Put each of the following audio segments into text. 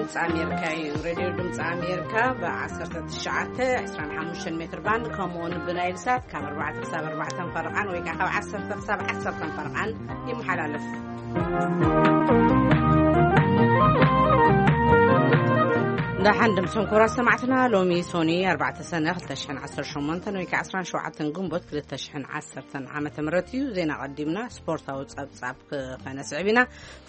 ድምፂ ኣሜሪካ እዩ። ሬድዮ ድምፂ ኣሜሪካ ብ ዓሰርተ ትሽዓተ ዕስራን ሓሙሽተን ሜትር ባንድ፣ ከምኡ እውን ብናይል ሳት ካብ ኣርባዕተ ክሳብ ኣርባዕተ ፈረቓን ወይ ከዓ ካብ ዓሰርተ ክሳብ ዓሰርተ ፈረቓን ይመሓላለፍ። ደሓን ድምፅን ኩራ ሰማዕትና፣ ሎሚ ሶኒ ኣርባዕተ ሰነ ክልተ ሽሕን ዓሰርተ ሸሞንተን ወይ ከዓ ዕስራን ሸውዓተን ግንቦት ክልተ ሽሕን ዓሰርተን ዓመተ ምህረት እዩ። ዜና ቀዲምና ስፖርታዊ ፀብፃብ ክኸነስዕብ ኢና።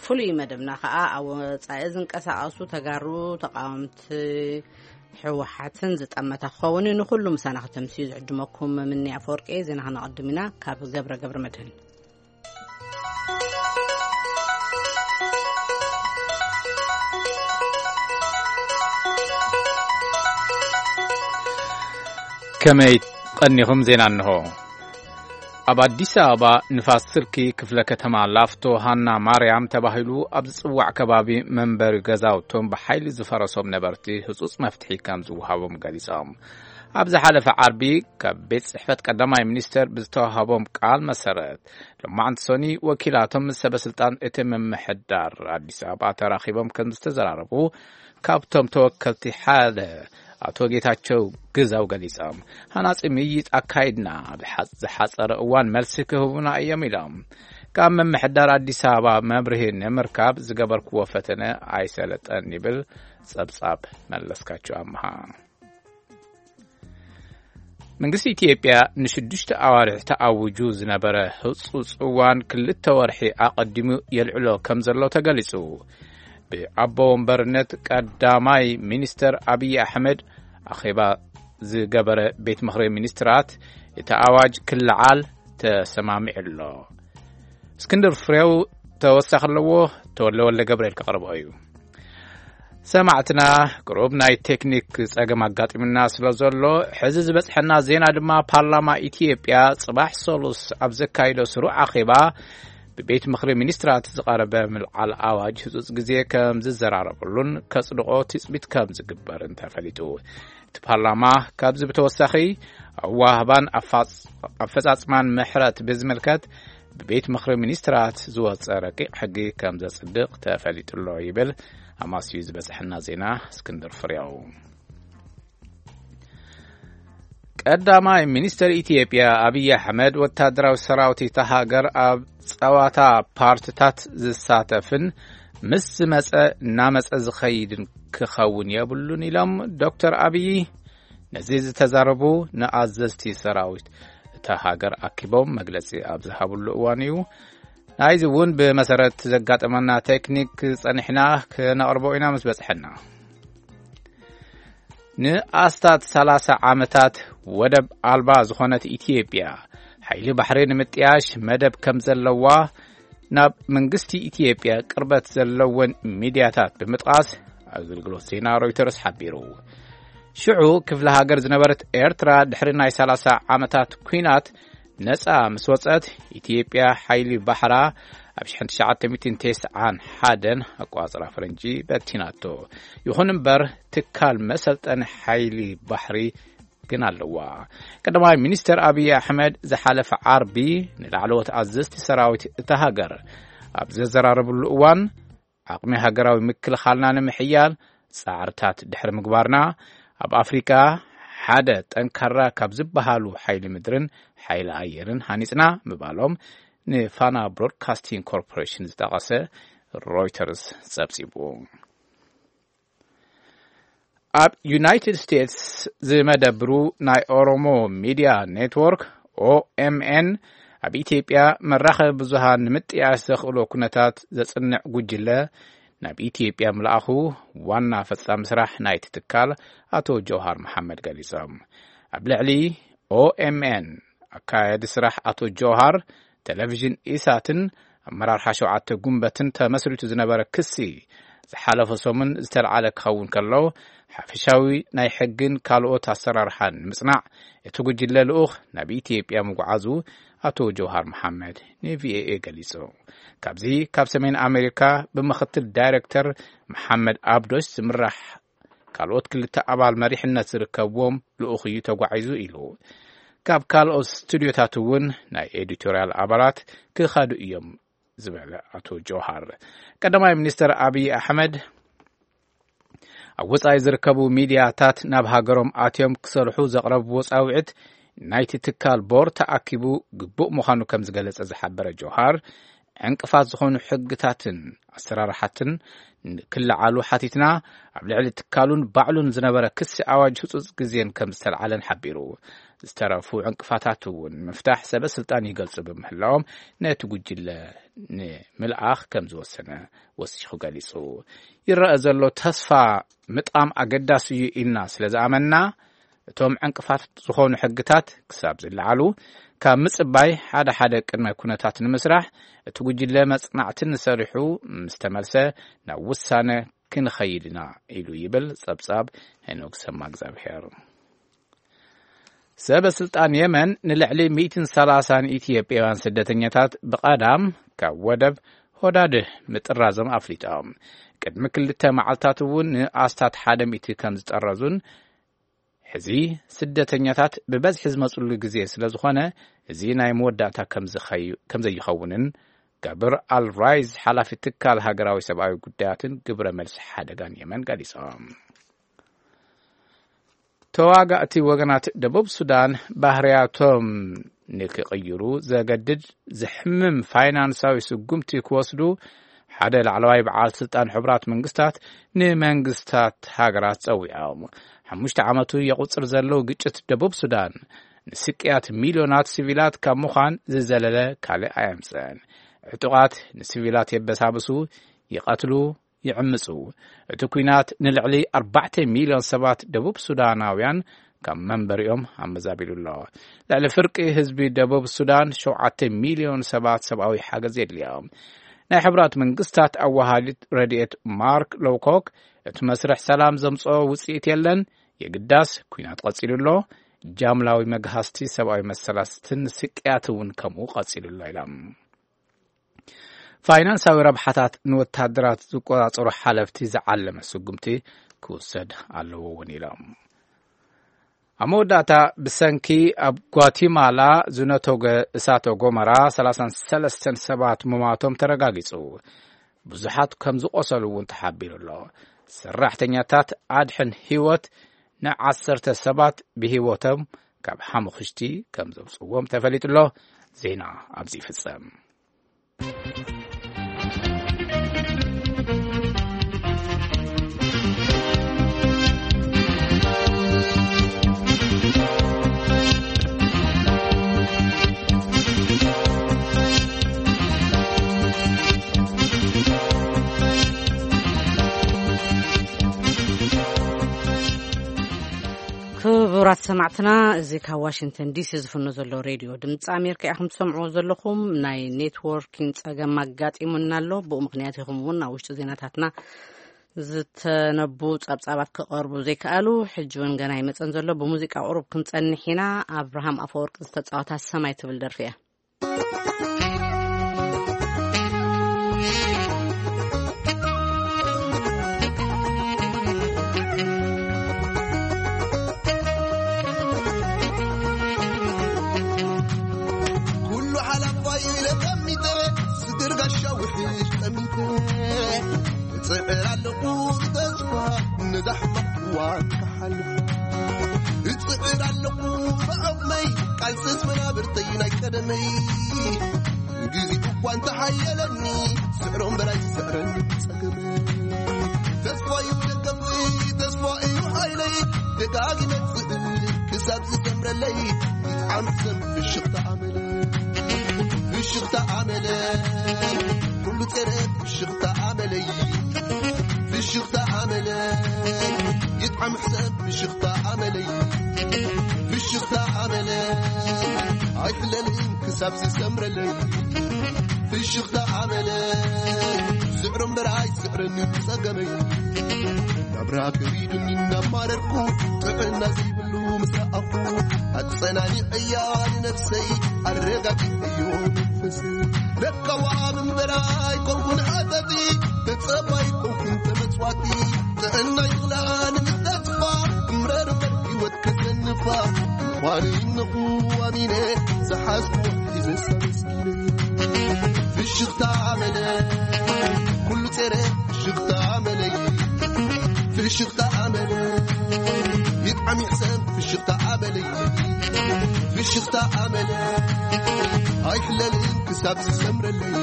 ፍሉይ መደብና ከኣ ኣብ ወጻኢ ዝንቀሳቐሱ ተጋሩ ተቓወምቲ ህወሓትን ዝጠመተ ክኸውን እዩ። ንኹሉ ምሳና ከተምስዩ ዝዕድመኩም ምኒ ኣፈወርቂ። ዜና ከነቐድም ኢና ካብ ገብረ ገብረ መድህን። ከመይ ቀኒኹም? ዜና እንሆ። ኣብ ኣዲስ ኣበባ ንፋስ ስልኪ ክፍለ ከተማ ላፍቶ ሃና ማርያም ተባሂሉ ኣብ ዝጽዋዕ ከባቢ መንበሪ ገዛውቶም ብሓይሊ ዝፈረሶም ነበርቲ ህጹጽ መፍትሒ ከም ዝወሃቦም ገሊጾም። ኣብ ዝሓለፈ ዓርቢ ካብ ቤት ጽሕፈት ቀዳማይ ሚኒስተር ብዝተዋሃቦም ቃል መሰረት፣ ሎማዕንቲ ሶኒ ወኪላቶም ምስ ሰበ ስልጣን እቲ ምምሕዳር ኣዲስ ኣበባ ተራኺቦም ከም ዝተዘራረቡ ካብቶም ተወከልቲ ሓደ ኣቶ ጌታቸው ግዛው ገሊጾም። ሃናጺ ምይይጥ ኣካይድና፣ ኣብ ሓ-፣ ዝሓጸረ እዋን መልሲ ክህቡና እዮም ኢሎም። ካብ ምምሕዳር ኣዲስ ኣበባ መብርሂ ንምርካብ ዝገበርክዎ ፈተነ ኣይሰለጠን ይብል ጸብጻብ መለስካቸው ኣምሃ። መንግስቲ ኢትዮጵያ ንሽዱሽተ ኣዋርሕ ተኣውጁ ዝነበረ ህጹጽ እዋን ክልተ ወርሒ ኣቐዲሙ የልዕሎ ከም ዘሎ ተገሊጹ። ብኣቦ ወንበርነት ቀዳማይ ሚኒስተር ኣብይ ኣሕመድ ኣኼባ ዝገበረ ቤት ምኽሪ ሚኒስትራት፣ እቲ ኣዋጅ ክለዓል ተሰማሚዑ ኣሎ። እስክንድር ፍሬው ተወሳኺ ኣለዎ። ተወለ ወልደ ገብርኤል ከቕርቦ እዩ። ሰማዕትና፣ ቅሩብ ናይ ቴክኒክ ጸገም ኣጋጢሙና ስለ ዘሎ፣ ሕዚ ዝበጽሐና ዜና ድማ፣ ፓርላማ ኢትዮጵያ ጽባሕ ሰሉስ ኣብ ዘካይዶ ስሩዕ ኣኼባ ብቤት ምኽሪ ሚኒስትራት ዝቐረበ ምልዓል ኣዋጅ ህጹጽ ግዜ ከም ዝዘራረበሉን ከጽድቖ ትጽቢት ከም ዝግበርን ተፈሊጡ። እቲ ፓርላማ ካብዚ ብተወሳኺ ኣዋህባን ኣፋጽ-፣ ኣፈጻጽማን ምሕረት ብዝምልከት ብቤት ምኽሪ ሚኒስትራት ዝወጸ ረቂቕ ሕጊ ከም ዘጽድቕ ተፈሊጡ ኣሎ ይብል ኣማስዩ ዝበጽሐና ዜና እስክንድር ፍሬው። ቀዳማይ ሚኒስትር ኢትዮጵያ ኣብይ ኣሕመድ ወታደራዊ ሰራዊት እታ ሃገር ኣብ ጸዋታ ፓርትታት ዝሳተፍን ምስ ዝመጸ እናመጸ ዝኸይድን ክኸውን የብሉን ኢሎም ዶክተር ኣብይ። ነዚ ዝተዛረቡ ንኣዘዝቲ ሰራዊት እታ ሃገር ኣኪቦም መግለጺ ኣብ ዝሃብሉ እዋን እዩ። ናይዚ እውን ብመሰረት ዘጋጠመና ቴክኒክ ጸኒሕና ክነቕርቦ ኢና ምስ በጽሐና። ንኣስታት ሰላሳ ዓመታት ወደብ ኣልባ ዝኾነት ኢትዮጵያ፣ ሓይሊ ባሕሪ ንምጥያሽ መደብ ከም ዘለዋ ናብ መንግስቲ ኢትዮጵያ ቅርበት ዘለወን ሚድያታት ብምጥቃስ ኣገልግሎት ዜና ሮይተርስ ሓቢሩ። ሽዑ ክፍለ ሃገር ዝነበረት ኤርትራ፣ ድሕሪ ናይ ሰላሳ ዓመታት ኲናት ነጻ ምስ ወጸት፣ ኢትዮጵያ ሓይሊ ባሕራ ኣብ ሽሕን ትሽዓተ ሚእትን ተስዓን ሓደን ኣቋጽራ ፈረንጂ በቲናቶ። ይኹን እምበር፣ ትካል መሰልጠኒ ሓይሊ ባሕሪ ግን ኣለዋ። ቀዳማይ ሚኒስትር ኣብይ ኣሕመድ ዝሓለፈ ዓርቢ ንላዕለዎት ኣዘዝቲ ሰራዊት እታ ሃገር ኣብ ዘዘራረብሉ እዋን፣ ዓቕሚ ሃገራዊ ምክልኻልና ንምሕያል ጻዕርታት ድሕሪ ምግባርና፣ ኣብ ኣፍሪቃ ሓደ ጠንካራ ካብ ዝበሃሉ ሓይሊ ምድርን ሓይሊ ኣየርን ሃኒጽና ምባሎም ንፋና ብሮድካስቲንግ ኮርፖሬሽን ዝጠቐሰ ሮይተርስ ጸብጺቡ። ኣብ ዩናይትድ ስቴትስ ዝመደብሩ ናይ ኦሮሞ ሚድያ ኔትወርክ፣ ኦኤምኤን፣ ኣብ ኢትዮጵያ መራኸቢ ብዙሃን ንምጥያሽ ዘኽእሎ ኩነታት ዘጽንዕ ጉጅለ ናብ ኢትዮጵያ ምልኣኹ ዋና ፈጻሚ ስራሕ ናይቲ ትካል ኣቶ ጀውሃር መሓመድ ገሊጾም። ኣብ ልዕሊ ኦኤምኤን ኣካያዲ ስራሕ ኣቶ ጀውሃር፣ ቴሌቪዥን ኢሳትን ኣመራርሓ ሸውዓተ ጉንበትን ተመስሪቱ ዝነበረ ክሲ፣ ዝሓለፈ ሰሙን ዝተልዓለ ክኸውን ከሎ፣ ሓፈሻዊ ናይ ሕግን ካልኦት ኣሰራርሓን ንምጽናዕ እቲ ጉጅለ ልኡኽ ናብ ኢትዮጵያ ምጉዓዙ ኣቶ ጀውሃር መሓመድ ንቪኦኤ ገሊጹ። ካብዚ ካብ ሰሜን ኣሜሪካ ብምኽትል ዳይሬክተር መሓመድ ኣብዶሽ ዝምራሕ ካልኦት ክልተ ኣባል መሪሕነት ዝርከብዎም ልኡኽ እዩ ተጓዒዙ ኢሉ። ካብ ካልኦት ስቱድዮታት እውን ናይ ኤዲቶርያል ኣባላት ክኸዱ እዮም ዝበለ ኣቶ ጆሃር፣ ቀዳማይ ሚኒስትር ኣብይ ኣሕመድ ኣብ ወጻኢ ዝርከቡ ሚድያታት ናብ ሃገሮም ኣትዮም ክሰርሑ ዘቕረብዎ ጻውዒት ናይቲ ትካል ቦርድ ተኣኪቡ ግቡእ ምዃኑ ከም ዝገለጸ ዝሓበረ ጆሃር፣ ዕንቅፋት ዝኾኑ ሕግታትን ኣሰራርሓትን ክለዓሉ ሓቲትና፣ ኣብ ልዕሊ ትካሉን ባዕሉን ዝነበረ ክሲ ኣዋጅ ህጹጽ ግዜን ከም ዝተለዓለን ሓቢሩ። ዝተረፉ ዕንቅፋታት እውን ንምፍታሕ ሰበ ስልጣን ይገልጹ ብምህላዎም፣ ነቲ ጉጅለ ንምልኣኽ ከም ዝወሰነ ወሲኹ ገሊጹ። ይረኣ ዘሎ ተስፋ ምጣም ኣገዳሲ እዩ ኢልና ስለ ዝኣመንና፣ እቶም ዕንቅፋት ዝኾኑ ሕግታት ክሳብ ዝለዓሉ ካብ ምጽባይ፣ ሓደ ሓደ ቅድመ ኩነታት ንምስራሕ፣ እቲ ጉጅለ መጽናዕትን ሰሪሑ ምስ ተመልሰ ናብ ውሳነ ክንኸይድ ኢና ኢሉ ይብል ጸብጻብ ሄኖክ ሰማ እግዚኣብሔር። ሰበ ስልጣን የመን ንልዕሊ ሚእትን ሰላሳን ኢትዮጵያውያን ስደተኛታት ብቐዳም ካብ ወደብ ሆዳድህ ምጥራዞም ኣፍሊጦም። ቅድሚ ክልተ መዓልታት እውን ንኣስታት ሓደ ሚእቲ ከም ዝጠረዙን፣ ሕዚ ስደተኛታት ብበዝሒ ዝመጽሉ ግዜ ስለ ዝኾነ፣ እዚ ናይ መወዳእታ ከም ዝኸዩ-፣ ከም ዘይኸውንን ጋብር ኣል ራይዝ፣ ሓላፊ ትካል ሃገራዊ ሰብኣዊ ጉዳያትን ግብረ መልሲ ሓደጋን የመን፣ ገሊጾም። ተዋጋእቲ ወገናት ደቡብ ሱዳን ባህርያቶም ንክቕይሩ ዘገድድ ዘሕምም ፋይናንሳዊ ስጉምቲ ክወስዱ ሓደ ላዕለዋይ በዓል ስልጣን ሕቡራት መንግስታት ንመንግስታት ሃገራት ጸዊዖም። ሓሙሽተ ዓመቱ የቑጽር ዘሎ ግጭት ደቡብ ሱዳን ንስቅያት ሚልዮናት ሲቪላት ካብ ምዃን ዝዘለለ ካልእ ኣየምጽእን። ዕጡቓት ንሲቪላት የበሳብሱ፣ ይቐትሉ፣ ይዕምጹ። እቲ ኲናት ንልዕሊ ኣርባዕተ ሚልዮን ሰባት ደቡብ ሱዳናውያን ካብ መንበሪኦም ኣመዛቢሉ ኣሎ። ልዕሊ ፍርቂ ህዝቢ ደቡብ ሱዳን፣ ሸውዓተ ሚልዮን ሰባት፣ ሰብኣዊ ሓገዝ የድልዮም። ናይ ሕቡራት መንግስታት ኣዋሃዲት ረድኤት ማርክ ሎውኮክ፣ እቲ መስርሕ ሰላም ዘምጽኦ ውጽኢት የለን፣ የግዳስ ኲናት ቀጺሉ ኣሎ፣ ጃምላዊ መግሃስቲ ሰብኣዊ መሰላትን ስቅያት እውን ከምኡ ቀጺሉ ኣሎ ኢሎም። ፋይናንሳዊ ረብሓታት ንወታደራት ዝቆጻጸሩ ሓለፍቲ ዝዓለመ ስጉምቲ ክውሰድ ኣለዎ እውን ኢሎም። ኣብ መወዳእታ፣ ብሰንኪ ኣብ ጓቲማላ ዝነተገ እሳተ ጎመራ ሰላሳን ሰለስተን ሰባት ምማቶም ተረጋጊጹ። ብዙሓት ከም ዝቆሰሉ እውን ተሓቢሩ ኣሎ። ሰራሕተኛታት ኣድሕን ህይወት ንዓሰርተ ሰባት ብህይወቶም ካብ ሓሙኽሽቲ ከም ዘውጽዎም ተፈሊጡ ኣሎ። ዜና ኣብዚ ይፍጸም። ክቡራት ሰማዕትና፣ እዚ ካብ ዋሽንግተን ዲሲ ዝፍኖ ዘሎ ሬድዮ ድምፂ ኣሜሪካ ኢኹም ትሰምዕዎ ዘለኹም። ናይ ኔትወርኪን ፀገም ኣጋጢሙና ኣሎ። ብኡ ምኽንያት ኢኹም እውን ኣብ ውሽጢ ዜናታትና ዝተነቡ ጸብጻባት ክቐርቡ ዘይከኣሉ። ሕጂ እውን ገና ይመጸን ዘሎ። ብሙዚቃ ቁሩብ ክንጸንሕ ኢና። ኣብርሃም ኣፈወርቂ ዝተጻወታ ሰማይ ትብል ደርፊ እያ። ኩሉ ሓላፋይ ኢለ ጠሚተ፣ ስግር ጋሻ ውሕጅ ጠሚተ። እጽዕር ኣለኹ ብተስፋ ነዛ ሕማቕ እዋን ክሓልፍ። እጽዕር ኣለኹ ብዓቕመይ፣ ቃልስስ መናብርተይ ናይ ቀደመይ። ግዜ እኳ እንተሓየለኒ፣ ስዕሮም በላይ ስዕረኒ ጸገመይ። ተስፋ እዩ ደገፍይ፣ ተስፋ እዩ ሓይለይ፣ ደጋጊመ ዝብል ክሳብ ዝሰምረለይ፣ ይጥዓም ሰብ ፍሽኽታ ኣመለይ። ፍሽኽታ ኣመለይ፣ ኩሉ ጸረ ፍሽኽታ ኣመለይ። ፍሽኽታ ኣመለይ፣ ይጥዓም ሰብ ፍሽኽታ ኣመለይ። ፍሽኽታ ኣመለይ፣ ኣይፍለልን ክሳብ ዝሰምረለይ። ፍሽኽታ ኣመለይ፣ ስዕሮ እምበር ኣይስዕረኒ ጸገመይ። ናብራ ከቢዱኒ እናማረርኩ፣ ጥዕና ዘይብሉ ምስ ረኣኹ፣ ኣጸናኒዐያ ንነፍሰይ፣ ኣረጋጊዐዮ መንፈሰይ። ለካዋ ምንበራ ኣይኮንኩን ዓጠጢ፣ ተጸባይ ኮንኩን ተመጽዋቲ። ጥዕና ይኽላ ንምተስፋ፣ እምረር እምበር ህይወት ከሰንፋ። ምዃኑ ይነኹ ኣሚነ፣ ዝሓዝኩ ሒዘ ሳበስኪነ። ፍሽኽታ መለ፣ ኩሉ ጸረ ፍሽኽታ መለይ። ፍሽኽታ ኣመለ ይጥዓም ይሕሰም ፍሽኽታ ኣመለ ፍሽኽታ ኣመለ ኣይሕለልን ክሳብ ዝሰምረለይ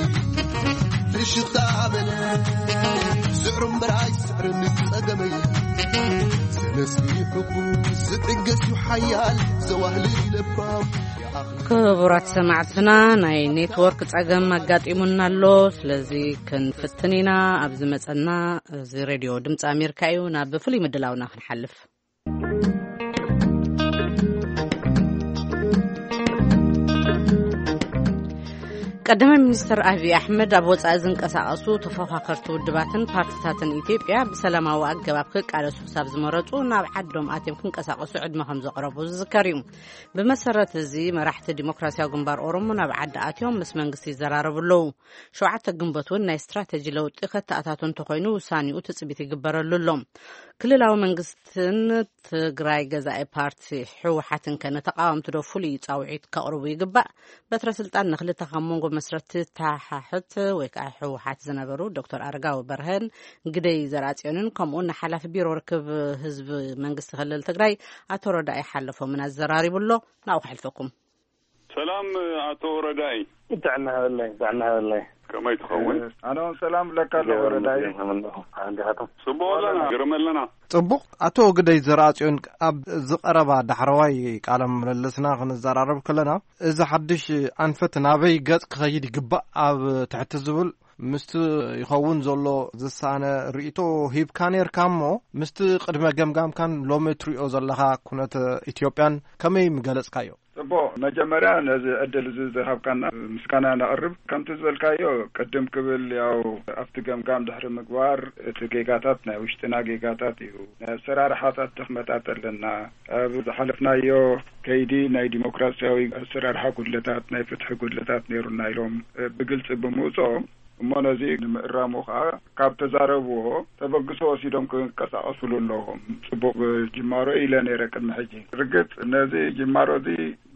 ፍሽኽታ ኣመለ ስዕሩ እምበር ኣይስዕርን ጸገመይ ዘነስሚዑ ዝዕገስ እዩ ሓያል ዘዋህልል ለባም ክቡራት ሰማዕትና ናይ ኔትወርክ ጸገም ኣጋጢሙና ኣሎ። ስለዚ ክንፍትን ኢና። ኣብ ዝመጸና እዚ ሬድዮ ድምፂ ኣሜሪካ እዩ። ናብ ፍሉይ ምድላውና ክንሓልፍ። ቀዳማይ ሚኒስትር ኣብይ ኣሕመድ ኣብ ወጻኢ ዝንቀሳቐሱ ተፎኻኸርቲ ውድባትን ፓርቲታትን ኢትዮጵያ ብሰላማዊ ኣገባብ ክቃለሱ ክሳብ ዝመረጹ ናብ ዓዶም ኣትዮም ክንቀሳቐሱ ዕድመ ከም ዘቕረቡ ዝዝከር እዩ። ብመሰረት እዚ መራሕቲ ዲሞክራሲያዊ ግንባር ኦሮሞ ናብ ዓዲ ኣትዮም ምስ መንግስቲ ይዘራረቡ ኣለዉ። ሸውዓተ ግንቦት እውን ናይ ስትራተጂ ለውጢ ከተኣታቶ እንተኾይኑ ውሳኔኡ ትጽቢት ይግበረሉ ኣሎ። ክልላዊ መንግስትን ትግራይ ገዛኢ ፓርቲ ህወሓትን ከ ንተቃወምቲ ዶ ፍሉይ ጻውዒት ከቕርቡ ይግባእ? በትረ ስልጣን ንክልተ ካብ መንጎ መስረትቲ ተሓሕት ወይ ከዓ ህወሓት ዝነበሩ ዶክተር ኣረጋዊ በርሀን ግደይ ዘርኣጽዮንን ከምኡ እውን ንሓላፊ ቢሮ ርክብ ህዝቢ መንግስቲ ክልል ትግራይ ኣቶ ረዳኢ ሓለፎምን ኣዘራሪቡ ኣሎ። ናብኡ ከሕልፈኩም። ሰላም ኣቶ ረዳኢ። ጥዕና ሃበለይ፣ ጥዕና ሃበለይ። ከመይ ትኸውን? ኣነ እውን ሰላም ብለካ ኣለኹ ረዳኢ። ጽቡቕ ኣለና፣ ግርም ኣለና። ጽቡቕ። ኣቶ ግደይ ዘርኣጽዮን፣ ኣብ ዝቐረባ ዳሕረዋይ ቃለ ምልልስና ክንዘራረብ ከለና፣ እዚ ሓድሽ ኣንፈት ናበይ ገጽ ክኸይድ ይግባእ ኣብ ትሕቲ ዝብል ምስቲ ይኸውን ዘሎ ዝሳነ ርእይቶ ሂብካ ነርካ እሞ፣ ምስቲ ቅድመ ገምጋምካን ሎሚ ትሪኦ ዘለኻ ኩነት ኢትዮጵያን ከመይ ምገለጽካዮ? ጽቡቕ፣ መጀመርያ ነዚ ዕድል እዚ ዝሃብካና ምስጋና ነቕርብ። ከምቲ ዝበልካዮ ቅድም ክብል ያው ኣብቲ ገምጋም ድሕሪ ምግባር እቲ ጌጋታት ናይ ውሽጥና ጌጋታት እዩ። ናይ ኣሰራርሓታት ድኽመታት ኣለና። ኣብ ዝሓለፍናዮ ከይዲ ናይ ዲሞክራሲያዊ ኣሰራርሓ ጉድለታት፣ ናይ ፍትሒ ጉድለታት ነይሩና ኢሎም ብግልጺ ብምውፅኦም እሞ ነዚ ንምእራሙ ከዓ ካብ ተዛረብዎ ተበግሶ ወሲዶም ክንቀሳቐሱሉ ኣለዎም። ጽቡቕ ጅማሮ ኢለ ነይረ ቅድሚ ሕጂ። ርግጽ ነዚ ጅማሮ እዚ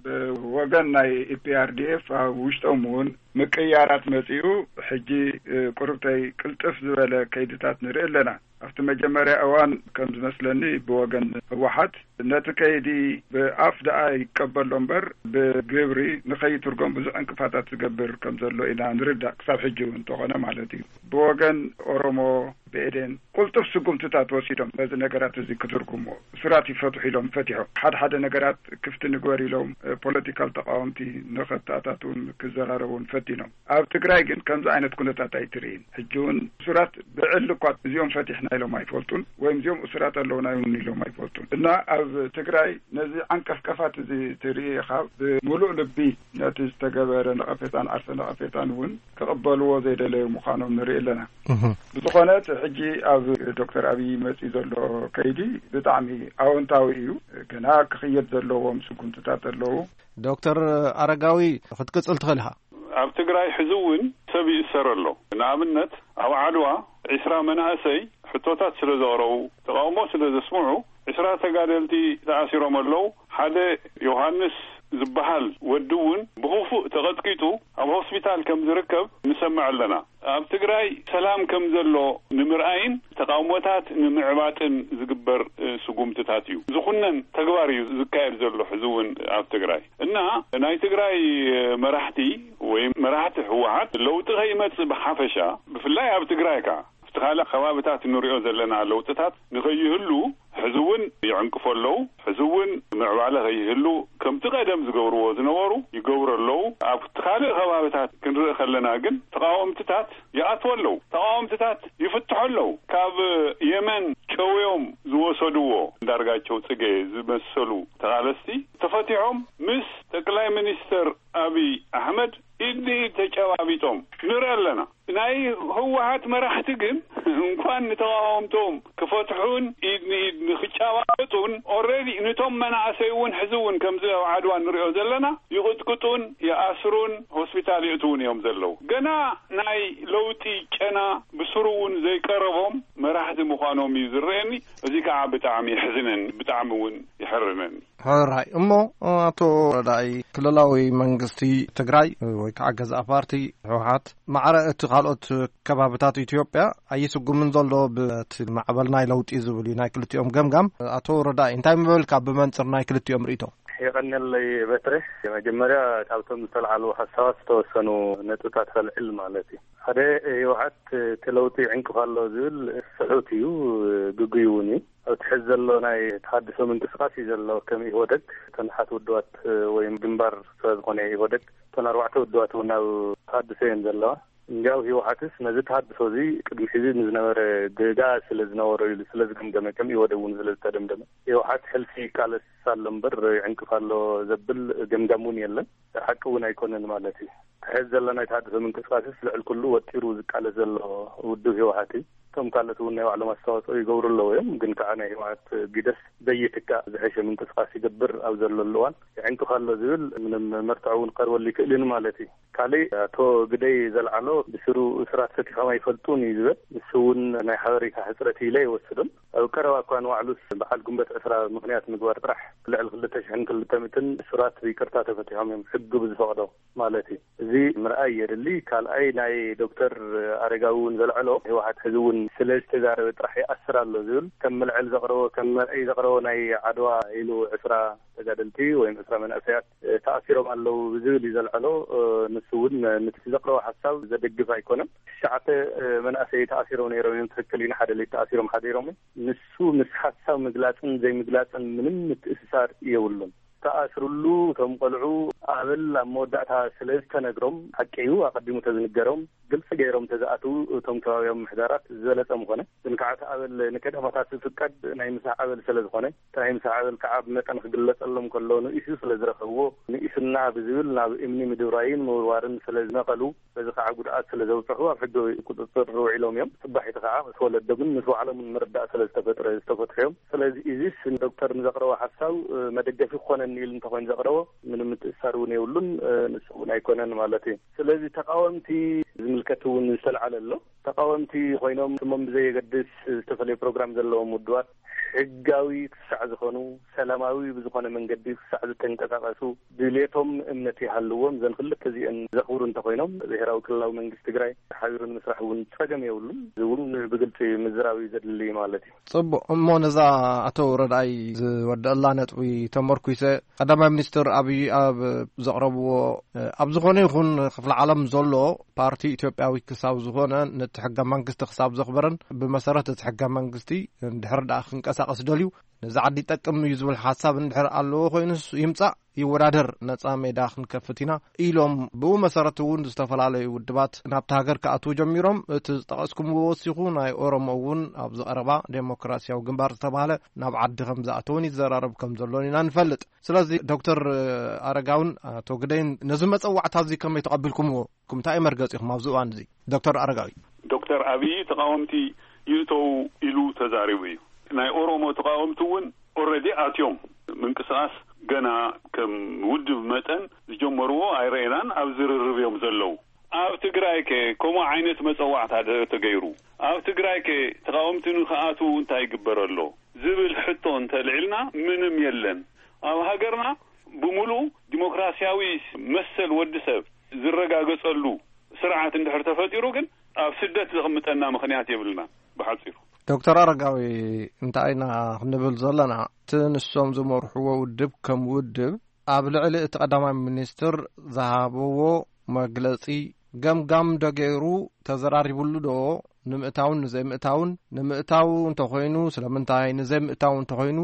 ብወገን ናይ ኢፒኣርዲኤፍ ኣብ ውሽጦም እውን ምቅያራት መጺኡ ሕጂ ቁርብተይ ቅልጥፍ ዝበለ ከይድታት ንርኢ ኣለና። ኣብቲ መጀመርያ እዋን ከም ዝመስለኒ ብወገን ህወሓት ነቲ ከይዲ ብኣፍ ደኣ ይቀበሎ እምበር ብግብሪ ንኸይትርጎም ብዙሕ ዕንቅፋታት ዝገብር ከም ዘሎ ኢና ንርዳእ ክሳብ ሕጂ እውን እንተኾነ ማለት እዩ። ብወገን ኦሮሞ ብኤዴን ቁልጡፍ ስጉምትታት ወሲዶም ነዚ ነገራት እዚ ክትርጉሞ እሱራት ይፈትሑ ኢሎም ፈቲሖም ሓደ ሓደ ነገራት ክፍቲ ንግበር ኢሎም ፖለቲካል ተቃወምቲ ንኸተኣታትውን ክዘራረቡን ፈቲኖም። ኣብ ትግራይ ግን ከምዚ ዓይነት ኩነታት ኣይትርእይን። ሕጂ እውን እሱራት ብዕሊ እኳ እዚኦም ፈቲሕና ኢሎም ኣይፈልጡን ወይም እዚኦም እሱራት ኣለውና እውን ኢሎም ኣይፈልጡን እና ኣብ ትግራይ ነዚ ዓንቀፍቀፋት እዚ ትርኢ ኢኻ። ብምሉእ ልቢ ነቲ ዝተገበረ ነቐፌታን ዓርሰ ነቐፌታን እውን ክቕበልዎ ዘይደለዩ ምዃኖም ንርኢ ኣለና። ብዝኾነ እቲ ሕጂ ኣብ ዶክተር ኣብይ መፂኡ ዘሎ ከይዲ ብጣዕሚ ኣወንታዊ እዩ። ገና ክኽየድ ዘለዎም ስጉምትታት ኣለዉ። ዶክተር ኣረጋዊ ክትቅፅል ትኽእል ኢኻ። ኣብ ትግራይ ሕዚ እውን ሰብ ይእሰር ኣሎ። ንኣብነት ኣብ ዓድዋ ዒስራ መናእሰይ ሕቶታት ስለ ዘቕረቡ ተቃውሞ ስለ ዘስምዑ ዒስራ ተጋደልቲ ተኣሲሮም ኣለዉ። ሓደ ዮሃንስ ዝበሃል ወዲ እውን ብኽፉእ ተቐጥቂጡ ኣብ ሆስፒታል ከም ዝርከብ ንሰምዕ ኣለና። ኣብ ትግራይ ሰላም ከም ዘሎ ንምርኣይን ተቃውሞታት ንምዕባጥን ዝግበር ስጉምትታት እዩ። ዝኹነን ተግባር እዩ ዝካየድ ዘሎ ሕዚ እውን ኣብ ትግራይ እና ናይ ትግራይ መራሕቲ ወይ መራሕቲ ህወሓት ለውጢ ከይመፅእ ብሓፈሻ ብፍላይ ኣብ ትግራይ ከዓ ኣብቲ ካልእ ከባብታት እንሪኦ ዘለና ለውጥታት ንኸይህሉ ሕዚ እውን ይዕንቅፎ ኣለዉ። ሕዚ እውን ምዕባለ ከይህሉ ከምቲ ቀደም ዝገብርዎ ዝነበሩ ይገብሩ ኣለዉ። ኣብቲ ካልእ ከባብታት ክንርኢ ከለና ግን ተቃወምትታት ይኣትዎ ኣለዉ። ተቃወምትታት ይፍትሑ ኣለዉ። ካብ የመን ጨውዮም ዝወሰድዎ እንዳርጋቸው ጽጌ ዝመሰሉ ተቓለስቲ ተፈቲሖም ምስ ጠቅላይ ሚኒስተር ኣብይ ኣሕመድ ኢድ ንኢድ ተጨባቢጦም ንርኢ ኣለና። ናይ ህወሓት መራሕቲ ግን እንኳን ንተቃወምቶም ክፈትሑን ኢድ ንኢድ ንክጨባበጡን ኦረዲ ንቶም መናእሰይ እውን ሕዚ እውን ከምዚ ኣብ ዓድዋ ንሪኦ ዘለና ይቕጥቅጡን ይኣስሩን ሆስፒታል የእትውን እዮም ዘለዉ። ገና ናይ ለውጢ ጨና ብስሩ እውን ዘይቀረቦም መራሕቲ ምዃኖም እዩ ዝረኣየኒ። እዚ ከዓ ብጣዕሚ የሕዝነኒ፣ ብጣዕሚ እውን ይሕርነኒ። ሕራይ እሞ፣ ኣቶ ረዳኢ፣ ክልላዊ መንግስቲ ትግራይ ወይ ከዓ ገዛእ ፓርቲ ህወሓት ማዕረ እቲ ካልኦት ከባብታት ኢትዮጵያ ኣይስጉምን ዘሎ ብቲ ማዕበል ናይ ለውጢ ዝብል እዩ ናይ ክልቲኦም ገምጋም። ኣቶ ረዳኢ፣ እንታይ ምበልካ ብመንፅር ናይ ክልቲኦም ርእይቶ? የቐንየለይ በትረ። መጀመርያ ካብቶም ዝተልዓሉ ሓሳባት ዝተወሰኑ ነጥብታት ከልዕል ማለት እዩ። ሓደ፣ ህወሓት እቲ ለውጢ ይዕንቅፍ ኣሎ ዝብል ስሑት እዩ፣ ግጉይ እውን እዩ። ኣብቲ ሕዚ ዘሎ ናይ ተሃድሶ ምንቅስቃስ እዩ ዘሎ። ከም ኢህወደግ እተን ሓት ውድባት ወይ ግንባር ስለ ዝኾነ ኢህወደግ እተን ኣርባዕተ ውድባት እውን ኣብ ተሃድሶ እየን ዘለዋ። እንዲያው ህወሓትስ ነዚ ተሃድሶ እዚ ቅድሚ ሕዚ ንዝነበረ ጌጋ ስለ ዝነበሮ ኢሉ ስለ ዝገምገመ፣ ከም ኢህወደግ እውን ስለ ዝተደምደመ፣ ህወሓት ሕልፊ ይቃለስ ኣሎ እምበር ይዕንቅፍ ኣሎ ዘብል ገምጋም እውን የለን። ሓቂ እውን ኣይኮነን ማለት እዩ። እቲ ሕዚ ዘሎ ናይ ተሃድሶ ምንቅስቃስስ ልዕሊ ኩሉ ወጢሩ ዝቃለስ ዘሎ ውድብ ህወሓት እዩ። እቶም ካልኦት እውን ናይ ባዕሎም ኣስተዋፅኦ ይገብሩ ኣለዉ እዮም። ግን ከዓ ናይ ህወሓት ግደስ ዘይትካእ ዝሐሸ ምንቅስቃስ ይገብር ኣብ ዘለሉ እዋን፣ ይዕንቅፍ ኣሎ ዝብል ምንም መርትዖ እውን ክቐርበሉ ይክእልን ማለት እዩ። ካሊእ ኣቶ ግደይ ዘልዓሎ ብስሩ እሱራት ፈቲሖም ኣይፈልጡን እዩ ዝብል። ንሱ እውን ናይ ሓበሬታ ሕፅረት ኢለ ይወስዶም። ኣብ ቀረባ እኳ ንባዕሉስ በዓል ግንቦት ዕስራ ምኽንያት ምግባር ጥራሕ ልዕሊ ክልተ ሽሕን ክልተ ሚእትን እሱራት ብይቅርታ ተፈቲሖም እዮም፣ ሕጊ ብዝፈቕዶ ማለት እዩ። እዚ ምርኣይ የድሊ። ካልኣይ ናይ ዶክተር ኣረጋዊ እውን ዘልዐሎ ህወሓት ሕዚ እውን ስለ ዝተዛረበ ጥራሕ ይኣስር ኣሎ ዝብል ከም ምልዕል ዘቕረቦ ከም መርኣይ ዘቕረቦ ናይ ዓድዋ ኢሉ ዕስራ ተጋደልቲ ወይም ዕስራ መናእሰያት ተኣሲሮም ኣለዉ ብዝብል እዩ ዘልዐሎ። ንሱ እውን ነቲ ዘቕረቦ ሓሳብ ዘደግፍ ኣይኮነን። ትሽዓተ መናእሰይ ተኣሲሮም ነይሮም እዮም። ትክክል እዩ። ንሓደ ለይቲ ተኣሲሮም ሓዲሮም እዮም። ንሱ ምስ ሓሳብ ምግላፅን ዘይምግላፅን ምንም ምትእስሳር የብሉን። ተኣስርሉ እቶም ቆልዑ ኣበል ኣብ መወዳእታ ስለ ዝተነግሮም፣ ሓቂ እዩ ኣቐዲሙ ተዝንገሮም፣ ግልፂ ገይሮም ተዝኣትዉ እቶም ከባቢያዊ ምሕዳራት ዝበለፀ ምኾነ። ግን ከዓ እቲ ኣበል ንከዳማታት ዝፍቀድ ናይ ምሳሕ ኣበል ስለ ዝኾነ፣ እቲ ናይ ምሳሕ ኣበል ከዓ ብመጠን ክግለፀሎም ከሎ ንኢሱ ስለ ዝረኸብዎ፣ ንኢሱና ብዝብል ናብ እምኒ ምድብራይን ምውርዋርን ስለ ዝነቐሉ፣ በዚ ከዓ ጉድኣት ስለ ዘብፅሑ ኣብ ሕጊ ቁፅፅር ውዒሎም እዮም። ፅባሒቲ ከዓ ምስ ወለዶምን ምስ ባዕሎምን ምርዳእ ስለ ዝተፈጥረ ዝተፈትሑ እዮም። ስለዚ እዚስ ዶክተር ንዘቕረቦ ሓሳብ መደገፊ ክኾነኒ ኢሉ እንተኾይኑ ዘቕረቦ ምንም ምትእሳር እውን የብሉን። ንሱ እውን ኣይኮነን ማለት እዩ። ስለዚ ተቃወምቲ ዝምልከት እውን ዝተልዓለ ኣሎ። ተቃወምቲ ኮይኖም ስሞም ብዘየገድስ ዝተፈለየ ፕሮግራም ዘለዎም ውድባት ሕጋዊ ክሳዕ ዝኾኑ፣ ሰላማዊ ብዝኾነ መንገዲ ክሳዕ ዝተንቀሳቀሱ፣ ድሌቶም እምነት ይሃልዎም፣ እዘን ክልተ እዚአን ዘኽብሩ እንተኾይኖም፣ ብሄራዊ ክልላዊ መንግስቲ ትግራይ ሓቢሩ ንምስራሕ እውን ጸገም የብሉን። እዚ እውን ብግልጺ ምዝራብ እዩ ዘድሊ ማለት እዩ። ጽቡቕ። እሞ ነዛ ኣቶ ረድኣይ ዝወደአላ ነጥቢ ተመርኩሰ፣ ቀዳማይ ሚኒስትር ኣብይ ኣብ ዘቕረብዎ፣ ኣብ ዝኾነ ይኹን ክፍለ ዓለም ዘሎ ፓርቲ ኢትዮጵያዊ ክሳብ ዝኾነ፣ ነቲ ሕገ መንግስቲ ክሳብ ዘኽበረን ብመሰረት እቲ ሕገ መንግስቲ እንድሕር ደኣ ክንቀሳቐስ ደልዩ፣ ነዚ ዓዲ ይጠቅም እዩ ዝብል ሓሳብ እንድሕር ኣለዎ ኮይኑስ ይምጻእ፣ ይወዳደር፣ ነጻ ሜዳ ክንከፍት ኢና ኢሎም፣ ብኡ መሰረት እውን ዝተፈላለዩ ውድባት ናብቲ ሃገር ክኣትዉ ጀሚሮም። እቲ ዝጠቐስኩምዎ ወሲኹ ናይ ኦሮሞ እውን ኣብዚ ቀረባ ዴሞክራሲያዊ ግንባር ዝተባህለ ናብ ዓዲ ከም ዝኣተውን ይዘራረብ ከም ዘሎን ኢና ንፈልጥ። ስለዚ ዶክተር ኣረጋውን ኣቶ ግደይን ነዚ መጸዋዕታ እዚ ከመይ ተቐቢልኩምዎ? እንታይ እዩ መርገጺኹም ኣብዚ እዋን እዚ? ዶክተር ኣረጋዊ። ዶክተር ኣብይ ተቃወምቲ ይእተው ኢሉ ተዛሪቡ እዩ። ናይ ኦሮሞ ተቃወምቲ እውን ኦረዲ ኣትዮም። ምንቅስቃስ ገና ከም ውድብ መጠን ዝጀመርዎ ኣይረኤናን፣ ኣብ ዝርርብ እዮም ዘለዉ። ኣብ ትግራይ ከ ከምኡ ዓይነት መጸዋዕታ ደ ተገይሩ? ኣብ ትግራይ ከ ተቃወምቲ ንክኣትዉ እንታይ ይግበር ኣሎ ዝብል ሕቶ እንተልዒልና ምንም የለን። ኣብ ሃገርና ብምሉእ ዲሞክራሲያዊ መሰል ወዲ ሰብ ዝረጋገጸሉ ስርዓት እንድሕር ተፈጢሩ ግን ኣብ ስደት ዘቕምጠና ምኽንያት የብልና። ብሓጺሩ። ዶክተር ኣረጋዊ፣ እንታይ ኢና ክንብል ዘለና? እቲ ንሶም ዝመርሕዎ ውድብ ከም ውድብ ኣብ ልዕሊ እቲ ቀዳማይ ሚኒስትር ዝሃብዎ መግለጺ ገምጋም ዶ ገይሩ፣ ተዘራሪቡሉ ዶ? ንምእታውን ንዘይምእታውን፣ ንምእታው እንተኾይኑ ስለምንታይ፣ ንዘይምእታው እንተኾይኑ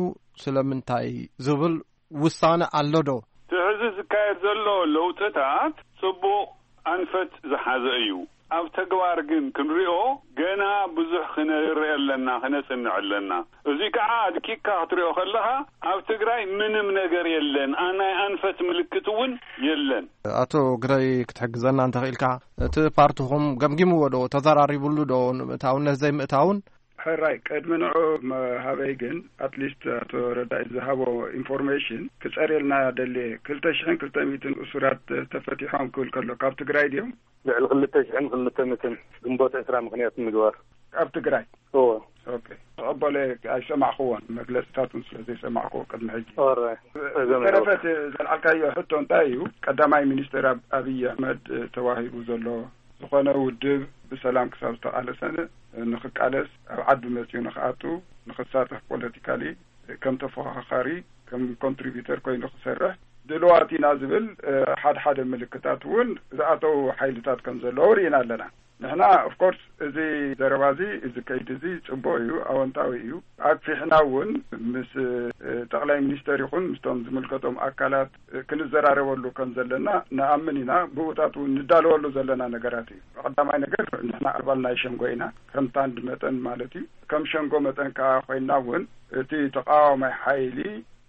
ስለምንታይ ዝብል ውሳነ ኣሎ ዶ? እቲ ሕዚ ዝካየድ ዘሎ ለውጥታት ጽቡቕ ኣንፈት ዝሓዘ እዩ። ኣብ ተግባር ግን ክንሪኦ ገና ብዙሕ ክነርእ ኣለና፣ ክነጽንዕ ኣለና። እዚ ከዓ ኣድቂቅካ ክትሪኦ ከለኻ ኣብ ትግራይ ምንም ነገር የለን። ኣ-፣ ናይ ኣንፈት ምልክት እውን የለን። ኣቶ ግደይ ክትሕግዘና እንተኽኢልካ፣ እቲ ፓርትኹም ገምጊምዎ ዶ? ተዘራሪቡሉ ዶ? ንምእታውን ዘይምእታውን? ሕራይ፣ ቅድሚ ንዑ መሃበይ ግን፣ ኣትሊስት ኣቶ ረዳኢ ዝሃቦ ኢንፎርሜሽን ክጸርየልና ደልየ። ክልተ ሽሕን ክልተ ሚእትን እሱራት ተፈቲሖም ክብል ከሎ፣ ካብ ትግራይ ድዮም? ልዕሊ ክልተ ሽሕን ክልተ ሚእትን ግንቦት ዕስራ ምኽንያት ምግባር። ኣብ ትግራይ? እዎ። ኦኬ። ተቐበለ ኣይሰማዕክዎን፣ መግለጽታቱን ስለ ዘይሰማዕክዎ ቅድሚ ሕጂ። ኦራይ። ብተረፈ እቲ ዘልዓልካዮ ሕቶ እንታይ እዩ? ቀዳማይ ሚኒስትር ኣብ-፣ ኣብይ ኣሕመድ ተዋሂቡ ዘሎ ዝኾነ ውድብ ብሰላም ክሳብ ዝተቓለሰን ንኽቃለስ ኣብ ዓዲ መጺኡ ንኽኣቱ ንኽሳተፍ ፖለቲካሊ ከም ተፎኻኻሪ ከም ኮንትሪቢተር ኮይኑ ክሰርሕ ድልዋት ኢና ዝብል ሓደ ሓደ ምልክታት እውን ዝኣተው ሓይልታት ከም ዘለዉ ርኢና ኣለና። ንሕና ኦፍኮርስ እዚ ዘረባ እዚ፣ እዚ ከይዲ እዚ ጽቡቕ እዩ፣ ኣወንታዊ እዩ። ኣክፊሕና እውን ምስ ጠቕላይ ሚኒስተር ይኹን ምስቶም ዝምልከቶም ኣካላት ክንዘራረበሉ ከም ዘለና ንኣምን ኢና። ብኡታት እውን ንዳለወሉ ዘለና ነገራት እዩ። ቀዳማይ ነገር ንሕና ኣባል ናይ ሸንጎ ኢና፣ ከም ታንድ መጠን ማለት እዩ። ከም ሸንጎ መጠን ከኣ ኮይንና እውን እቲ ተቃዋማይ ሓይሊ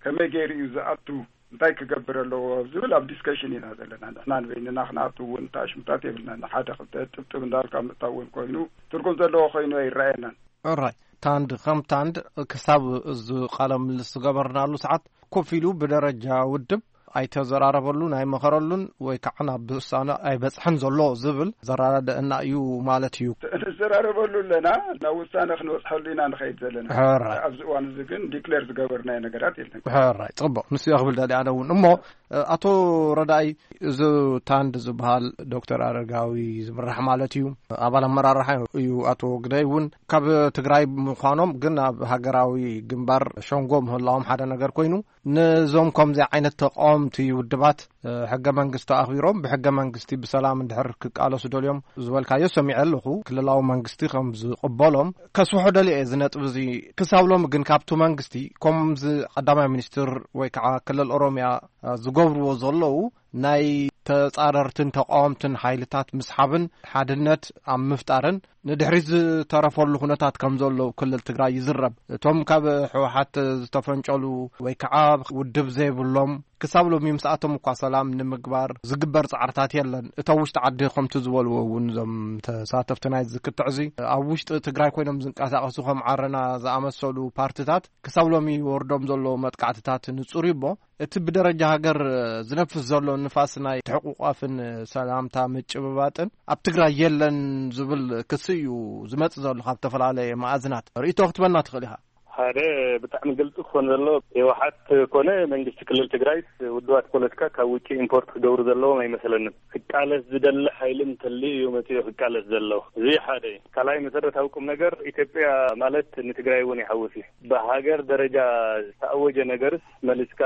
ከመይ ገይሩ እዩ ዝኣቱ፣ እንታይ ክገብር ኣለዎ ዝብል ኣብ ዲስከሽን ኢና ዘለና። ንሕና ንበይንና ክንኣቱ እውን ተኣሽሙታት የብልናን። ሓደ ክልተ ጥብጥብ እንዳልካ ምእታው እውን ኮይኑ ትርጉም ዘለዎ ኮይኑ ኣይረኣየናን። ኦራይ። ታንድ ከም ታንድ ክሳብ እዚ ቃለ ምልልስ ዝገበርናሉ ሰዓት ኮፍ ኢሉ ብደረጃ ውድብ ኣይተዘራረበሉን ኣይመኸረሉን ወይ ከዓ ናብ ውሳነ ኣይበጽሐን ዘሎ ዝብል ዘረዳድኣና እዩ ማለት እዩ። ንዘራረበሉ ኣለና፣ ናብ ውሳነ ክንበጽሐሉ ኢና ንኸይድ ዘለና። ሕራይ። ኣብዚ እዋን እዚ ግን ዲክሌር ዝገበርናዮ ነገራት የለን። ሕራይ፣ ጽቡቕ። ንሱ እየ ክብል ደልየ ኣነ እውን። እሞ፣ ኣቶ ረዳኢ፣ እዚ ታንድ ዝበሃል ዶክተር ኣረጋዊ ዝምራሕ ማለት እዩ፣ ኣባል ኣመራርሓ እዩ። ኣቶ ግደይ እውን ካብ ትግራይ ምዃኖም ግን ኣብ ሃገራዊ ግንባር ሸንጎ ምህላዎም ሓደ ነገር ኮይኑ፣ ነዞም ከምዚ ዓይነት ተቃወምቲ ውድባት፣ እ፣ ሕገ መንግስቲ ኣኽቢሮም ብሕገ መንግስቲ ብሰላም እንድሕር ክቃለሱ ደልዮም ዝበልካዮ ሰሚዐ ኣለኹ። ክልላዊ መንግስቲ ከም ዝቕበሎም ከስፍሖ ደልየ እዚ ነጥቢ እዚ። ክሳብ ሎሚ ግን ካብቲ መንግስቲ ከምዚ ቀዳማይ ሚኒስትር ወይ ከዓ ክልል ኦሮሚያ፣ እ፣ ዝገብርዎ ዘለዉ ናይ ተጻረርትን ተቃወምትን ሓይልታት ምስሓብን ሓድነት ኣብ ምፍጣርን ንድሕሪት ዝተረፈሉ ኩነታት ከም ዘሎ ክልል ትግራይ ይዝረብ። እቶም ካብ ህወሓት ዝተፈንጨሉ ወይ ከዓ ውድብ ዘይብሎም ክሳብ ሎሚ ምስኣቶም እኳ ሰላም ንምግባር ዝግበር ጻዕርታት የለን። እቶም ውሽጢ ዓዲ ከምቲ ዝበልዎ እውን እዞም ተሳተፍቲ ናይዚ ክትዕ እዚ ኣብ ውሽጢ ትግራይ ኮይኖም ዝንቀሳቐሱ ከም ዓረና ዝኣመሰሉ ፓርትታት ክሳብ ሎሚ ይወርዶም ዘሎ መጥቃዕትታት ንጹር እዩ እሞ እቲ ብደረጃ ሃገር ዝነፍስ ዘሎ ንፋስ ናይ ትሕቁቋፍን ሰላምታ ምጭብባጥን ኣብ ትግራይ የለን ዝብል ክሲ እዩ ዝመጽእ ዘሎ ካብ ዝተፈላለየ መኣዝናት። ርእይቶ ክትበና ትኽእል ኢኻ። ሓደ ብጣዕሚ ግልጺ ክኾን ዘሎ ህወሓት ኮነ መንግስቲ ክልል ትግራይ ውድባት ፖለቲካ ካብ ውጭ ኢምፖርት ክገብሩ ዘለዎም ኣይመስለንን። ክቃለስ ዝደሊ ሓይሊ እንተልዩ እዩ መጺኡ ክቃለስ ዘሎ። እዚ ሓደ እዩ። ካልኣይ መሰረታዊ ቁም ነገር ኢትዮጵያ ማለት ንትግራይ እውን ይሓውስ እዩ። ብሃገር ደረጃ ዝተኣወጀ ነገርስ መሊስካ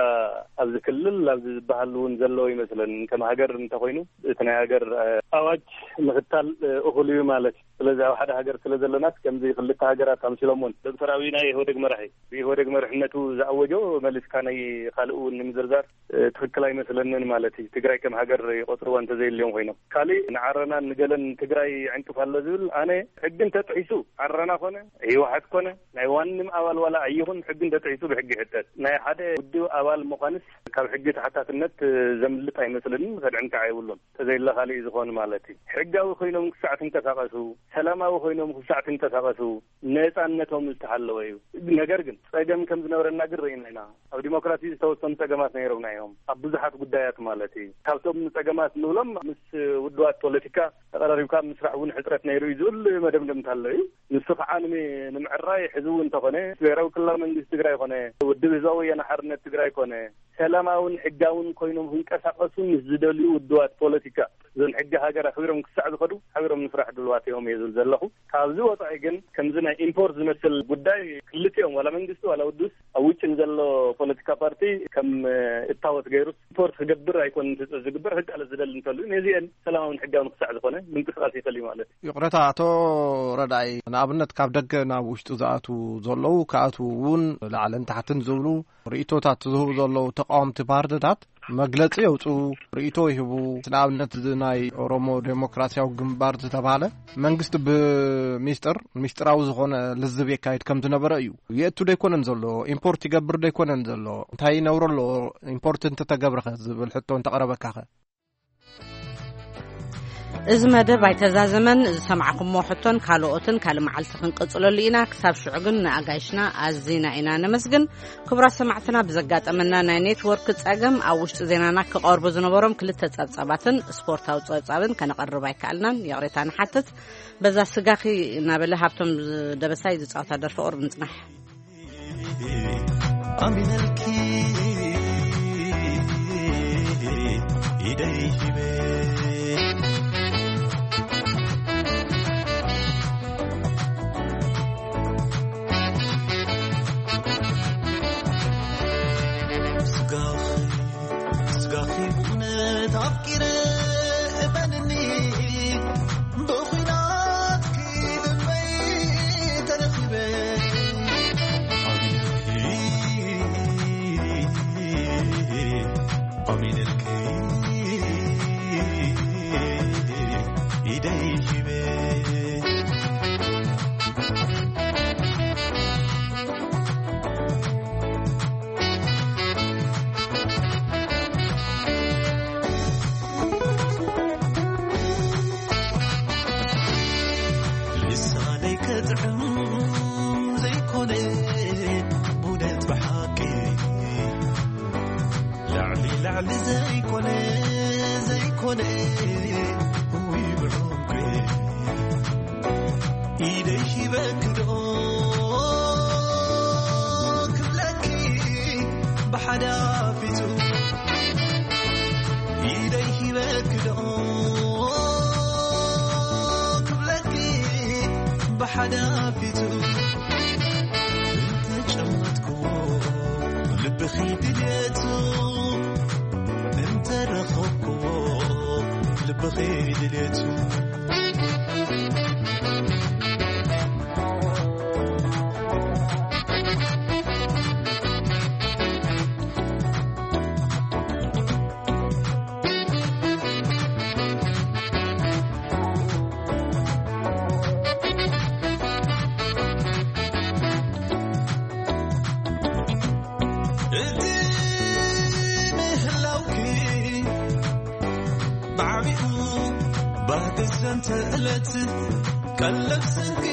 ኣብዚ ክልል ኣብዚ ዝበሃል እውን ዘለዎ ይመስለን። ከም ሃገር እንተኾይኑ እቲ ናይ ሃገር፣ እ፣ ኣዋጅ ምኽታል፣ እ፣ እኹል እዩ ማለት እዩ። ስለዚ ኣብ ሓደ ሃገር ስለ ዘለናስ ከምዚ ክልተ ሃገራት ኣምሲሎምዎን ዶክተር ኣብይ ናይ ኢህወደግ መራሒ ብኢህወደግ መርሕነቱ ዝኣወጆ መሊስካ ናይ ካልእ እውን ንምዝርዛር፣ እ፣ ትኽክል ኣይመስለንን ማለት እዩ። ትግራይ ከም ሃገር ይቆጽርዋ እንተዘይልዮም ኮይኖም። ካሊእ ንዓረናን ንገለን ትግራይ ይዕንቅፍ ኣሎ ዝብል ኣነ ሕጊ እንተጥሒሱ ዓረና ኮነ ህወሓት ኮነ ናይ ዋንም ኣባል ዋላ ኣይኹን ሕጊ እንተጥሒሱ ብሕጊ ይሕተት። ናይ ሓደ ውድብ ኣባል ምዃንስ ካብ ሕጊ ተሓታትነት ዘምልጥ ኣይመስለንን፣ ከድዕን ከዓ የብሉን። ተዘይለ ካሊእ ዝኾን ማለት እዩ። ሕጋዊ ኮይኖም ክሳዕ ትንቀሳቐሱ፣ ሰላማዊ ኮይኖም ክሳዕ ትንቀሳቐሱ ነፃነቶም ዝተሓለወ እዩ። ነገር ግን ጸገም ከም ዝነበረና ግን ርኢና ኢና። ኣብ ዲሞክራሲ ዝተወሰኑ ጸገማት ነይሮምና እዮም፣ ኣብ ብዙሓት ጉዳያት ማለት እዩ። ካብቶም ጸገማት ንብሎም ምስ ውድባት ፖለቲካ ተቐራሪብካ ምስራሕ እውን ሕጽረት ነይሩ እዩ ዝብል መደምደምታ ኣሎ እዩ። ንሱ ከዓ ንሚ-፣ ንምዕራይ ሕዚ እውን እንተኾነ ብሄራዊ ክልላዊ መንግስቲ ትግራይ ኮነ ውድብ ህዝባዊ ወያነ ሓርነት ትግራይ ኮነ ሰላማውን ሕጋውን ኮይኖም ክንቀሳቐሱ ምስ ዝደልዩ ውድባት ፖለቲካ እዞን ሕጊ ሃገር ኣኽቢሮም ክሳዕ ዝኸዱ ሓቢሮም ንስራሕ ድልዋት እዮም እየ ዝብል ዘለኹ። ካብዚ ወፃኢ ግን ከምዚ ናይ ኢምፖርት ዝመስል ጉዳይ ክልቲኦም ዋላ መንግስቲ ዋላ ውድብስ ኣብ ውጭ ንዘሎ ፖለቲካ ፓርቲ ከም እታወት ገይሩ ኢምፖርት ክገብር ኣይኮን ዝግበር፣ ክቃለስ ዝደሊ እንተልዩ ነዚአን ሰላማውን ሕጋውን ክሳዕ ዝኾነ ምንቅስቃስ ይኽእል እዩ ማለት እዩ። ይቕረታ ኣቶ ረዳኢ፣ ንኣብነት ካብ ደገ ናብ ውሽጢ ዝኣትዉ ዘለዉ ክኣትዉ እውን ላዕልን ታሕትን ዝብሉ ርእይቶታት ዝህቡ ዘለዉ ተቃወምቲ ፓርትታት መግለጺ የውጽኡ፣ ርእይቶ ይህቡ። ንኣብነት እዚ ናይ ኦሮሞ ዴሞክራሲያዊ ግንባር ዝተባህለ መንግስቲ ብሚስጥር፣ ሚስጥራዊ ዝኾነ ልዝብ የካይድ ከም ዝነበረ እዩ። የእቱ ዶ ኣይኮነን ዘሎ? ኢምፖርት ይገብር ዶ ኣይኮነን ዘሎ? እንታይ ይነብሮ ኣሎ? ኢምፖርት እንተተገብረኸ ዝብል ሕቶ እንተቐረበካኸ? እዚ መደብ ኣይተዛዘመን። ዝሰማዕኩሞ ሕቶን ካልኦትን ካልእ መዓልቲ ክንቅጽለሉ ኢና። ክሳብ ሽዑ ግን ንኣጋይሽና ኣዚና ኢና ነመስግን። ክቡራት ሰማዕትና፣ ብዘጋጠመና ናይ ኔትወርክ ጸገም ኣብ ውሽጢ ዜናና ክቐርቡ ዝነበሮም ክልተ ጸብጻባትን ስፖርታዊ ጸብጻብን ከነቐርብ ኣይከኣልናን። ይቕሬታ ንሓትት። በዛ ስጋኺ እናበለ ሃብቶም ደበሳይ ዝጻወታ ደርፊ ቁሩብ ንጽናሕ። ኣሚነልኪ ኢደይ ሂበ። ስጋኺ፣ ስጋኺ ብእውነት ኣፍቂረ፣ እመንኒ፣ ብኹናትኪ ልበይ ተረኺበ። ኣሚነልኪ፣ ኣሚነልኪ፣ ኢደይ ሂበ። ልሳነይ ከጥዕም ዘይኮነ፣ ብእውነት ብሓቂ፣ ላዕሊ ላዕሊ ዘይኮነ፣ ዘይኮነ፣ ውይ ብዕምቂ፣ ኢደይ ሂበኪ ዶ ክብለኪ፣ ብሓዳፊቱ፣ ኢደይ ሂበኪ ዶ ክብለኪ፣ ብሓዳፊቱ፣ እንተጨመትኩዎ ልብኺ ድልየቱ፣ እንተረኸብኩዎ ልብኺ ድልየቱ። እቲ ምህላውኪ ብዓቢኡ ባህጊ ዘንተ ዕለት፣ ቀለብ ስንቂ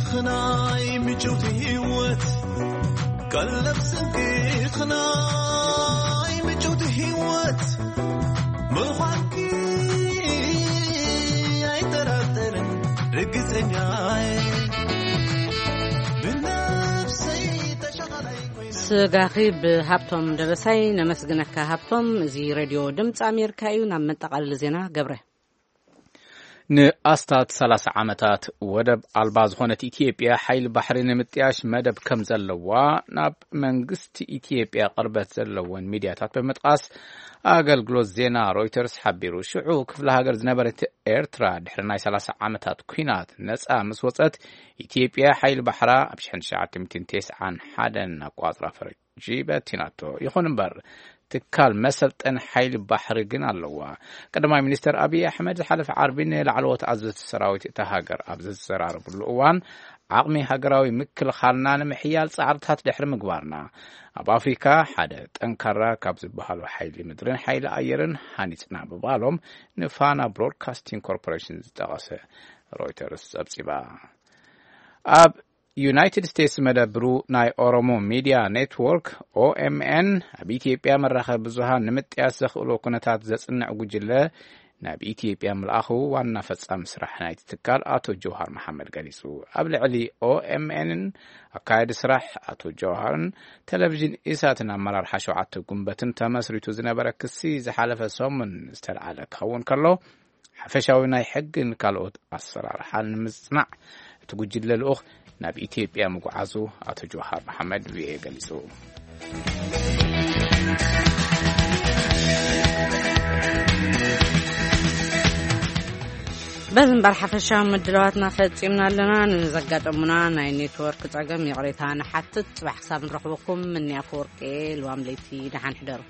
ኽናይ ምጭውቲ ህይወት፣ ቀለብ ስንቂ ኽናይ ምጭውቲ ህይወት ምዃንኪ ኣይጠራጠርን፣ ርግጸኛ እየ። ብነፍሰይ ተሸኻላይ ኮይነ። ስጋኺ ብሃብቶም ደበሳይ ነመስግነካ ሃብቶም። እዚ ሬድዮ ድምፂ ኣሜሪካ እዩ። ናብ መጠቓለሊ ዜና ገብረ። ንኣስታት ሰላሳ ዓመታት ወደብ ኣልባ ዝኾነት ኢትዮጵያ ሓይሊ ባሕሪ ንምጥያሽ መደብ ከም ዘለዋ ናብ መንግስቲ ኢትዮጵያ ቅርበት ዘለወን ሚድያታት ብምጥቃስ ኣገልግሎት ዜና ሮይተርስ ሓቢሩ። ሽዑ ክፍለ ሃገር ዝነበረት ኤርትራ ድሕሪ ናይ ሰላሳ ዓመታት ኲናት ነጻ ምስ ወጸት፣ ኢትዮጵያ ሓይሊ ባሕራ ኣብ ሽሕን ትሽዓተ ሚእትን ተስዓን ሓደን ኣቋጽራ ፈረጂ በቲናቶ። ይኹን እምበር፣ ትካል መሰልጠን ሓይሊ ባሕሪ ግን ኣለዋ። ቀዳማይ ሚኒስተር ኣብይ ኣሕመድ ዝሓለፈ ዓርቢ ንላዕለዎት ኣዘዝቲ ሰራዊት እታ ሃገር ኣብ ዘዘራረብሉ እዋን፣ ዓቕሚ ሃገራዊ ምክልኻልና ንምሕያል ጻዕርታት ድሕሪ ምግባርና፣ ኣብ ኣፍሪካ ሓደ ጠንካራ ካብ ዝበሃሉ ሓይሊ ምድርን ሓይሊ ኣየርን ሃኒጽና ምባሎም ንፋና ብሮድካስቲንግ ኮርፖሬሽን ዝጠቐሰ ሮይተርስ ጸብጺባ። ኣብ ዩናይትድ ስቴትስ መደብሩ ናይ ኦሮሞ ሚድያ ኔትወርክ፣ ኦኤምኤን፣ ኣብ ኢትዮጵያ መራኸቢ ብዙሃን ንምጥያስ ዘኽእሎ ኩነታት ዘጽንዕ ጉጅለ ናብ ኢትዮጵያ ምልኣኹ ዋና ፈጻሚ ስራሕ ናይቲ ትካል ኣቶ ጀውሃር መሓመድ ገሊጹ። ኣብ ልዕሊ ኦኤምኤንን ኣካያዲ ስራሕ ኣቶ ጀውሃርን ቴሌቪዥን ኢሳትን ኣመራርሓ ሸውዓተ ጉንበትን ተመስሪቱ ዝነበረ ክሲ ዝሓለፈ ሰሙን ዝተልዓለ ክኸውን ከሎ፣ ሓፈሻዊ ናይ ሕግን ካልኦት ኣሰራርሓን ንምጽናዕ እቲ ጉጅለ ልኡኽ ናብ ኢትዮጵያ ምጉዓዙ ኣቶ ጀውሃር መሓመድ ቪኦኤ ገሊጹ። በዚ እምበር ሓፈሻዊ ምድላዋትና ፈጺምና ኣለና። ንዘጋጠሙና ናይ ኔትወርክ ጸገም ይቕሬታ ንሓትት። ጽባሕ ክሳብ ንረኽበኩም፣ ምንያ ኣፈወርቂ፣ ልዋም ለይቲ ደሓን ሕደሩ።